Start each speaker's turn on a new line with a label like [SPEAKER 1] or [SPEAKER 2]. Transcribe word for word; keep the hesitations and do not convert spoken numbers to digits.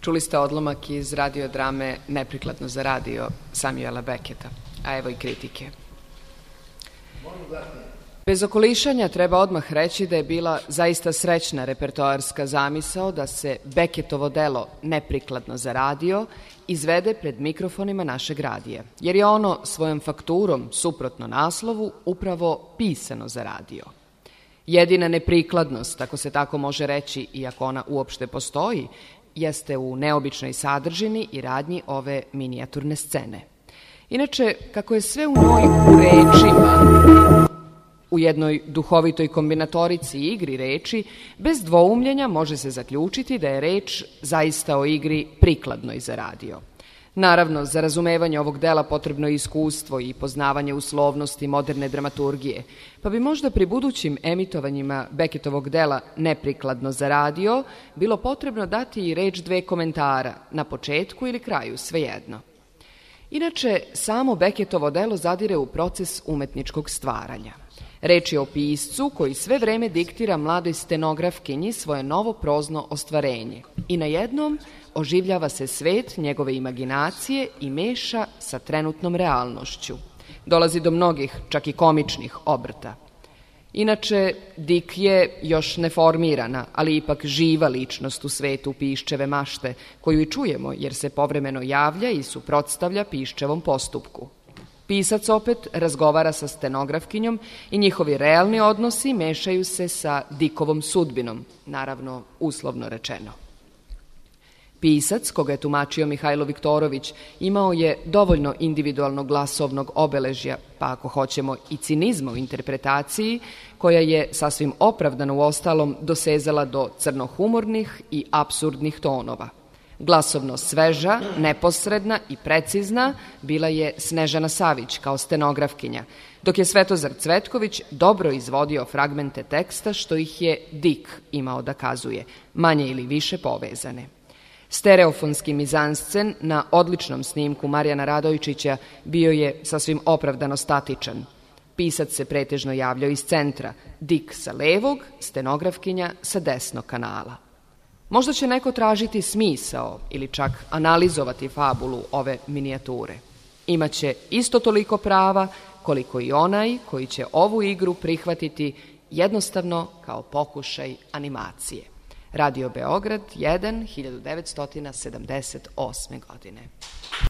[SPEAKER 1] Čuli ste odlomak iz radiodrame Neprikladno za radio Samuela Becketa, a evo i kritike. Bez okolišanja treba odmah reći da je bila zaista srećna repertoarska zamisao da se Becketovo delo Neprikladno za radio izvede pred mikrofonima našeg radija, jer je ono svojom fakturom, suprotno naslovu, upravo pisano za radio. Jedina neprikladnost, ako se tako može reći, iako ona uopšte postoji, jeste u neobičnoj sadržini i radnji ove minijaturne scene. Inače, kako je sve u njoj u rečima, u jednoj duhovitoj kombinatorici i igri reči, bez dvoumljenja može se zaključiti da je reč zaista o igri prikladnoj za radio. Naravno, za razumevanje ovog dela potrebno je iskustvo i poznavanje uslovnosti moderne dramaturgije, pa bi možda pri budućim emitovanjima Becketovog dela Neprikladno za radio bilo potrebno dati i reč dve komentara, na početku ili kraju, svejedno. Inače, samo Becketovo delo zadire u proces umetničkog stvaranja. Reč je o piscu koji sve vreme diktira mladoj stenografkinji svoje novo prozno ostvarenje i na jednom oživljava se svet njegove imaginacije i meša sa trenutnom realnošću. Dolazi do mnogih, čak i komičnih obrta. Inače, Dik je još neformirana, ali ipak živa ličnost u svetu Piščeve mašte, koju i čujemo jer se povremeno javlja i suprotstavlja Piščevom postupku. Pisac opet razgovara sa stenografkinjom i njihovi realni odnosi mešaju se sa Dikovom sudbinom, naravno uslovno rečeno. Pisac, koga je tumačio Mihajlo Viktorović, imao je dovoljno individualnog glasovnog obeležja, pa ako hoćemo i cinizma u interpretaciji, koja je sasvim opravdano u ostalom dosezala do crnohumornih i apsurdnih tonova. Glasovno sveža, neposredna i precizna bila je Snežana Savić kao stenografkinja, dok je Svetozar Cvetković dobro izvodio fragmente teksta što ih je Dik imao da kazuje, manje ili više povezane. Stereofonski mizanscen na odličnom snimku Marijana Radojčića bio je sasvim opravdano statičan. Pisac se pretežno javljao iz centra, Dik sa levog, stenografkinja sa desnog kanala. Možda će neko tražiti smisao ili čak analizovati fabulu ove minijature. Imaće isto toliko prava koliko i onaj koji će ovu igru prihvatiti jednostavno kao pokušaj animacije. Radio Beograd jedan, hiljadu devetsto sedamdeset osme godine.